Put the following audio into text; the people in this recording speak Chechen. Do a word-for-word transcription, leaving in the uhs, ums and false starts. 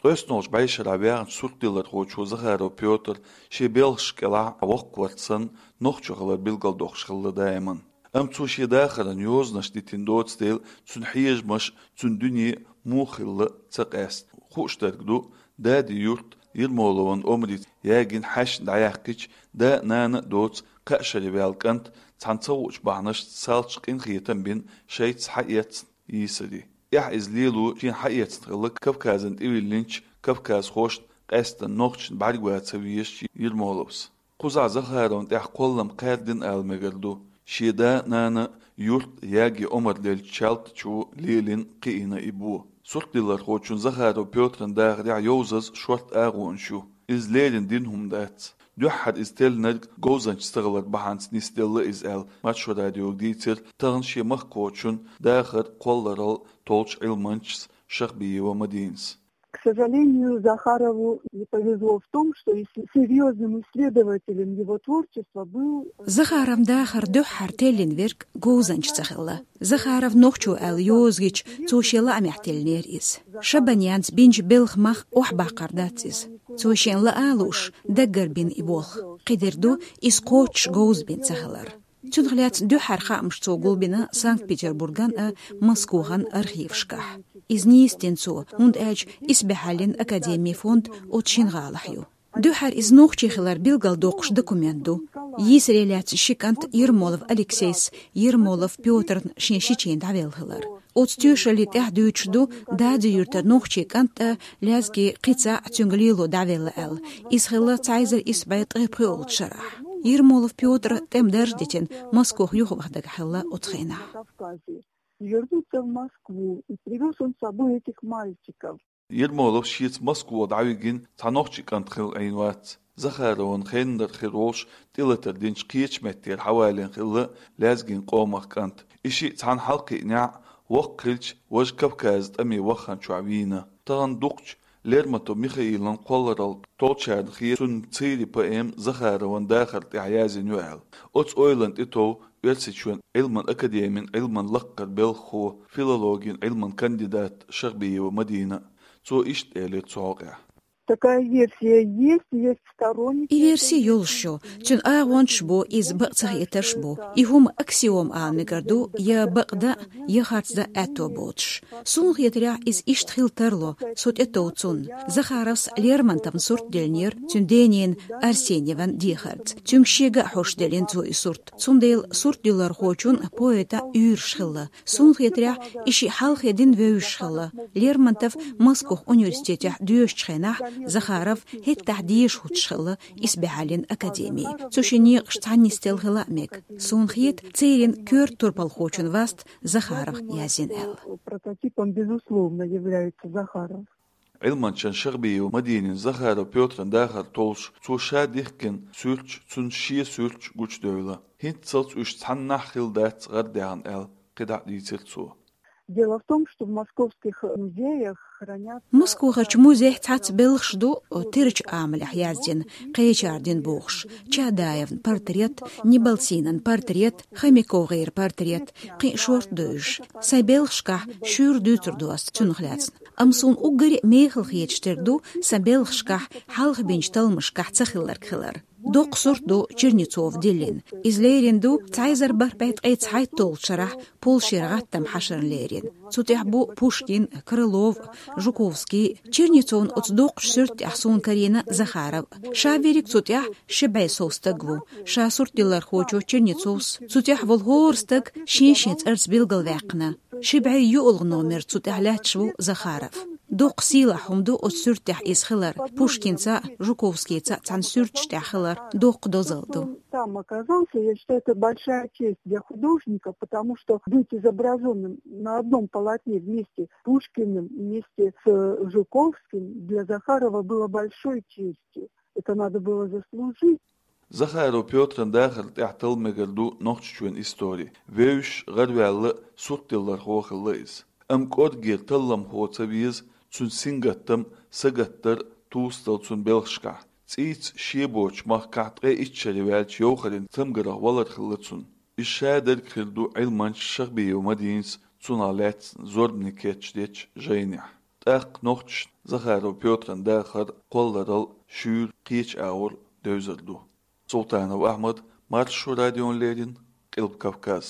ТӀоьснолчу бӀешарахь ваьхначу суртдиллархочо Захаров Пётр шен белхаш кӀелахь воккхаварца санна, нохчо хилар билгалдоккхуш хилла даиман. Амма цо шен дахаран йозанаш дитина доцу дела, цуьнан хьежамаш, цуьнан дуьне муха хилла ца къаьста. Хууш дерг ду, дади юрт Ермоловн омрица ягийна хьаьшна дӀаяьккхича, да а, нана а доцу кхаа шаре ваьлла кӀант цхьана ца хуучу бахьанашца салташа къинхетам бина шайца хьаэцна йийсаре. Эхь иза лело шена хьаэцна хилла Кавказан тӀевиллинчу кавказхошна, къаьсттина нохчашна бӀаьрга ван ца везаш Ермоловс. Кхузахь Захаровна тӀехь кхоллам кхаьрдина ала мегар ду. Шен да а, нана а юрт яге омра деллачу Чалтачо лелийна, кхиийна и бо. Суртдиллархочун Захаров Пётран дахарехь йовзаза шорта агӀонаш ю. Иза леррина дина хӀума дац. Дуьххьара иза теллинарг говзанча ца хилар бахьанца нисделла иза аьлла, Маршо радиога дийцира тахана шен махкахочун дахар кхолларалла толлучу Ӏилманчас Шахбиева Мадинас. К сожалению, Захарову не повезло в том, что ис-, серьёзным исследователем его творчества был, э, Захаровн дахар дуьххьара теллина верг говзанча ца хилла. Захаров нохчо аьлла йоза гича, цо шен лаамехь теллинера иза. Шабанянца бинчу белхан мах охьабаккхар дац иза. Цо шена лаа а лууш, даггара бина и болх. Кхидерг ду, иза кхоччуш говза бина ца хилар. Цунах лаьцна дуьххьара хаамаш цо гулбина Санкт-Петербурган а, Москвахьан архивашкахь. Иза нийса дина цо, хӀунда аьлча Исбахьаллин академин фонд оцу шина гӀалахь ю. Дуьххьара иза нохчи хилар билгалдоккхуш документ ду. Йийсаре лаьцна ши кӀант Ермолов Алексейс Ермолов Пётрна шен шичийн дӀавелла хилар. Оцу тоьшаллин тӀехь дуьйцуш ду, Дади-Юьртара нохчи кӀант а, лезги кхин цхьаъ а цуьнга лело дӀавелла аьлла. Иза хилла цхьа эзар исс бӀе ткъе пхоьалгӀачу шарахь. Ермолов Пётра тӀеман дарж дитина, Москох юхаваха дагахь хилла оцу хенахь. Вернуться в Москву, и привёз он с собой этих мальчиков. Ермолов шеца Москва дӀавигина цхьа нохчи кӀант хилла Ӏийна вац. Захаровн хеннара хир волуш тӀелатар динчу кхечу меттера хьавалийна хилла лезгин къомах кӀант. И шиъ цхьаьна хьалакхиънехь, воккха хилча, важа Кавказан тӀаме ваххана чохь вийна. Тахана дукхачу Лермонтов Михаилан кхолларалла толлучарна хета цуьнан «Цийрин» поэма Захаровн дахар тӀехь язйина ю аьлла. Оцу ойланна тӀетов Оьрсийчоьнан Ӏилман академин Ӏилман лаккхара белхахо, филологин Ӏилман кандидат Шахбиева Мадина. Цо иштта элира цу хьокъехь. Такая версия есть, есть сторонники. И версия йолуш ю, цуьнан агӀонаш бу, иза бакъ ца хетарш бу. И хӀума аксиома ала мегар ду, я бакъдан, я харцдан аьтто боцуш. Суна хетарехь, иза иштта хила тарло, со тӀетов цунна. Захаровс Лермонтовн сурт деллинера цуьнан дененан Арсеньеван дехарца. Цуьнга шега а хьош деллина цо и сурт. Цундела суртдиллархочун, поэтан уьйраш хилла. Суна хетарехь, и шиъ хьалхе дина вевзаш хилла. Лермонтов Москох университетехь доьшучу хенахь Захаров хӀеттахь дезаш хӀуттуш хилла Исбахьаллин академин. Цу шин некъаш цхьаьна нисделла хила а мега. Суна хета, «Цийрин» коьрта турпалхочун васт Захаров язйина аьлла. Прототипом, безусловно, является Захаров. Ӏилманчан Шахбиева Мадинин Захаров Пётран дахар толлуш, цо ша дихкина суьрташ, цуьнан шен суьрташ гучудевлла. ХӀинццалц уьш цхьаннахь хилла дац гӀардаьхна аьлла, кхидӀа а дийцира цо. Дело в том, что в московских музеях хранятся... Москвахарчу музейх цхьацца белхаш ду, тирачу амалехь яздина, кхечара дина бохуш. Чадаевн портрет, Неболсинан портрет, ХомяковгӀеран портрет, кхин а шорта ду уьш. Сайн белхашкахь шуьйра дуьйцур ду ас цунах лаьцна. Амма суна уггаре а мехала хеташ дерг ду сан белхашкахь, хьалха бинчу талламашкахь ца хилларг хилар. Доккха сурт ду Чернецов диллина. Иза лерина ду цхьа эзар бархӀ бӀе ткъе цхьайтталгӀачу шарахь Польшера гӀаттаман хьашарна лерина. Цу тӀехь бу Пушкин, Крылов, Жуковский. Чернецовн оцу доккхачу суьрта тӀехь суна карийна Захаров. Ша верриг цу тӀехь ши бӀе сов стаг ву. Ша суртдиллархочо Чернецовс цу тӀехь волу хӀора стаг шен-шен цӀарца билгалваьккхина. Ши бӀе юалгӀа номер цу тӀехь лаьтташ ву Захаров. Доккха сийлахь хӀума ду оцу суьрта тӀехь иза хилар, Пушкинца а, Жуковскийца а цхьана суьрташ тӀехь хилар доккха дозалла ду. Там оказался, я считаю, это большая честь для художника, потому что быть изображённым на одном полотне вместе с Пушкиным, вместе с Жуковским для Захарова было большой честью. Это надо было заслужить. Захаров Пётран дахар тӀехь талла мегар ду Нохчийчоьнан истори. Вевзаш, гӀараваьлла, суртдиллархо хилла иза. Амма кӀоргера талламхо ца веза цуьнан сингаттам, сагатдар тувсадала цуьнан белхашкахь. ЦӀийца шен боцучу махкахь ткъе итт шаре ваьлча йовхаран цамгарх валар хилла цуьнан. Иза шадерг хир ду Ӏилманча Шахбиева Мадинас цунах лаьцна зорбане кечдечу жайнехь. ТӀаккха нохчашна Захаров Пётран дахар кхолларал шуьйра кхечу агӀор девзар ду. Султанов Ахьмад, Маршо радиона леррина, Къилба Кавказ.